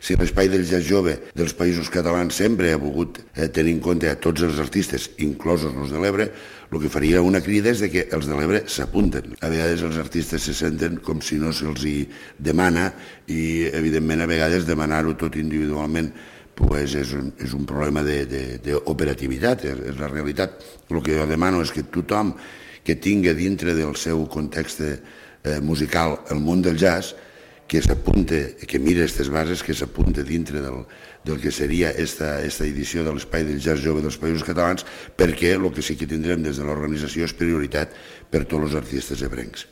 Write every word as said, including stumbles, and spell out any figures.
Si l'espai del jazz jove dels països catalans sempre ha volgut eh, tenir en compte a tots els artistes, inclosos els de l'Ebre, el que faria una crida és de que els de l'Ebre s'apunten. A vegades els artistes se senten com si no se'ls hi demana i, evidentment, a vegades demanar-ho tot individualment pues és, un, és un problema d'operativitat, és, és la realitat. El que jo demano és que tothom que tingui dintre del seu context eh, musical el món del jazz, que s'apunte, que mire aquestes bases, que s'apunte dintre del, del que seria esta, esta edició de l'Espai del Jazz Jove dels Països Catalans, perquè el que sí que tindrem des de l'organització és prioritat per tots els artistes ebrencs.